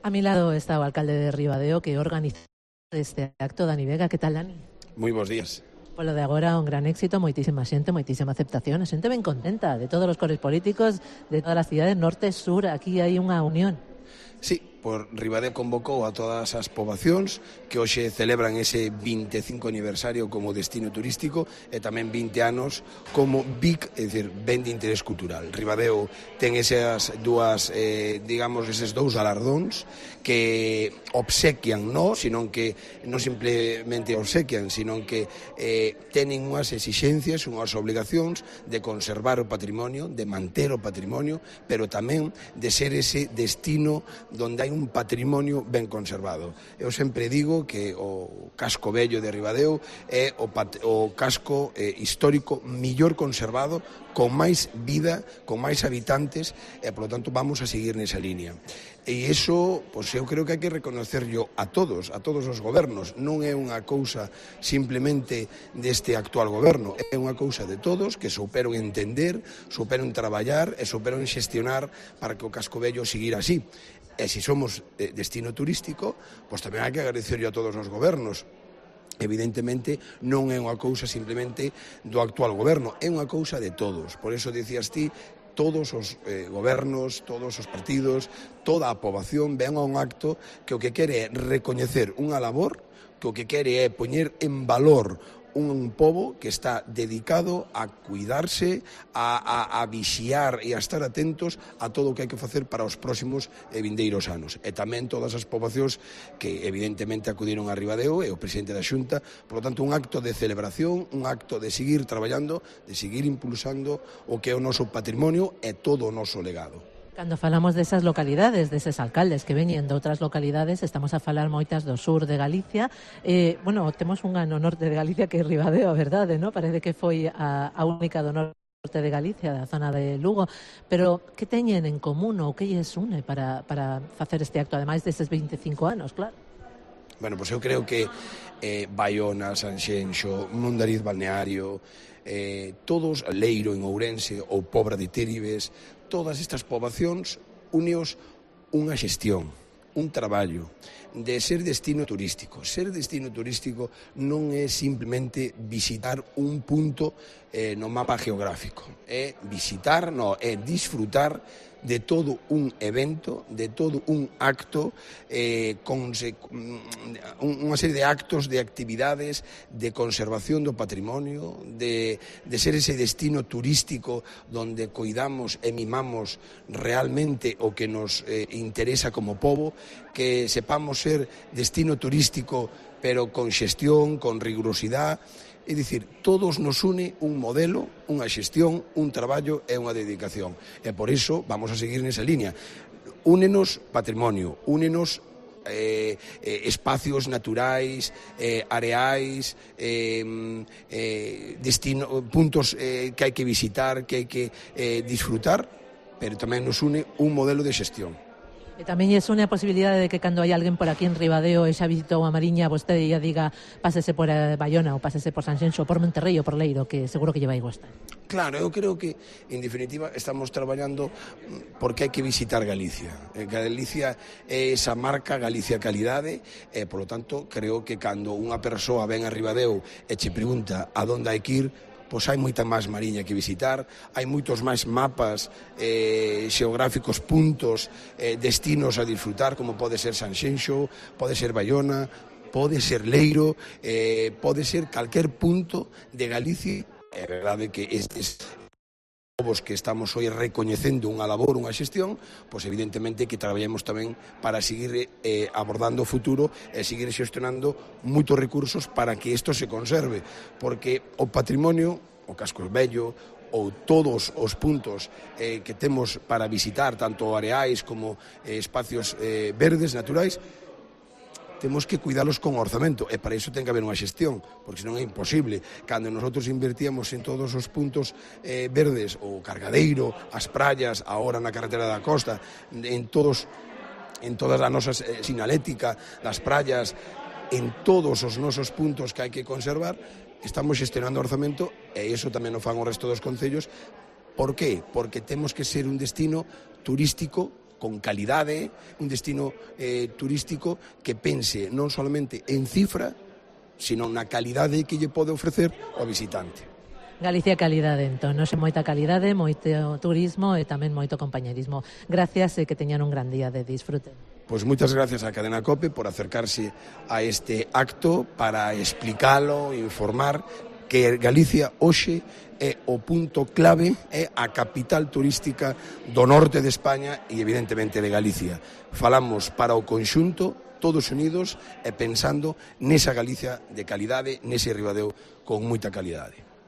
A mi lado está o alcalde de Ribadeo que organiza este acto. Dani Vega, que tal, Dani? Moi bons días. Polo de agora un gran éxito, moitísima xente, moitísima aceptación, a xente ben contenta de todos os cores políticos, de todas as cidades norte e sur, aquí hai unha unión. Sí, por Ribadeo convocou a todas as poboacións que hoxe celebran ese 25 aniversario como destino turístico e tamén 20 anos como BIC, é dicir, ben de interés cultural. Ribadeo ten esas dúas, eses dous galardóns que obsequian, non simplemente obsequian, sino que tenen unhas exixencias, unhas obligacións de conservar o patrimonio, de manter o patrimonio, pero tamén de ser ese destino donde hai un patrimonio ben conservado. Eu sempre digo que o casco vello de Ribadeo é o casco histórico millor conservado, con máis vida, con máis habitantes, e, polo tanto, vamos a seguir nesa línea. E iso, pois, eu creo que hai que reconocerlo a todos os gobernos. Non é unha cousa simplemente deste actual goberno, é unha cousa de todos que souperon entender, souperon traballar e souperon xestionar para que o casco vello seguira así. E se somos destino turístico, pois tamén hai que agradecerlo a todos os gobernos. Evidentemente non é unha cousa simplemente do actual goberno, é unha cousa de todos. Por iso dicías ti, todos os gobernos, todos os partidos, toda a poboación ven a un acto que o que quere é recoñecer unha labor, que o que quere é poñer en valor un pobo que está dedicado a cuidarse, a vixiar e a estar atentos a todo o que hai que facer para os próximos e vindeiros anos. E tamén todas as poboacións que evidentemente acudiron a Ribadeo e o presidente da Xunta, por lo tanto un acto de celebración, un acto de seguir traballando, de seguir impulsando o que é o noso patrimonio e todo o noso legado. Cando falamos desas localidades, deses alcaldes que veñen de outras localidades, estamos a falar moitas do sur de Galicia. Temos unha no norte de Galicia que é Ribadeo, a verdade, non? Parece que foi a única do norte de Galicia, da zona de Lugo. Pero que teñen en común ou que lles une para facer este acto, ademais destes 25 anos, claro? Bueno, pois eu creo que Baiona, Sanxenxo, Mondariz Balneario, todos, Leiro en Ourense ou Pobra de Téribes, todas estas poboacións uneos unha xestión, un traballo de ser destino turístico. Ser destino turístico non é simplemente visitar un punto no mapa geográfico, é visitar, é disfrutar de todo un evento, de todo un acto, con unha serie de actos, de actividades, de conservación do patrimonio, de ser ese destino turístico donde cuidamos e mimamos realmente o que nos interesa como pobo, que sepamos ser destino turístico pero con xestión, con rigurosidade. É dicir, todos nos une un modelo, unha xestión, un traballo e unha dedicación. E por iso vamos a seguir nesa línea. Únenos patrimonio, únenos espacios naturais, areais, puntos que hai que visitar, que hai que disfrutar, pero tamén nos une un modelo de xestión. E tamén é unha posibilidade de que cando hai alguén por aquí en Ribadeo e xa visitou a Mariña, vostede ia diga pásese por Baiona ou pásese por Sanxenxo, por Monterrey ou por Leiro, que seguro que lle vai gustar. Claro, eu creo que, en definitiva, estamos traballando porque hai que visitar Galicia. Galicia é esa marca Galicia Calidade e, polo tanto, creo que cando unha persoa ven a Ribadeo e che pregunta a onde hai que ir, pois hai moita máis mariña que visitar, hai moitos máis mapas xeográficos, puntos, destinos a disfrutar, como pode ser Sanxenxo, pode ser Baiona, pode ser Leiro, pode ser calquer punto de Galicia. É verdade que estes povos que estamos hoy recoñecendo unha labor, unha xestión, pois evidentemente que traballemos tamén para seguir abordando o futuro e seguir xestionando moitos recursos para que isto se conserve, porque o patrimonio, o casco vello, ou todos os puntos que temos para visitar, tanto areais como espacios verdes, naturais, temos que cuidalos con orzamento e para iso ten que haber unha xestión, porque senón é imposible. Cando nosotros invertíamos en todos os puntos verdes, o Cargadeiro, as praias, agora na carretera da costa, en toda a nosa sinalética das praias, en todos os nosos puntos que hai que conservar, estamos xestionando orzamento e iso tamén o fan o resto dos concellos. Por qué? Porque temos que ser un destino turístico con calidade, un destino turístico que pense non solamente en cifra, sino na calidade que lle pode ofrecer ao visitante. Galicia calidade, entón, non sei, moita calidade, moito turismo e tamén moito compañerismo. Gracias e que teñan un gran día de disfrute. Pois moitas gracias á Cadena COPE por acercarse a este acto para explicalo, informar que Galicia hoxe é o punto clave, é a capital turística do norte de España e evidentemente de Galicia. Falamos para o conxunto, todos unidos e pensando nesa Galicia de calidade, nese Ribadeo con moita calidade.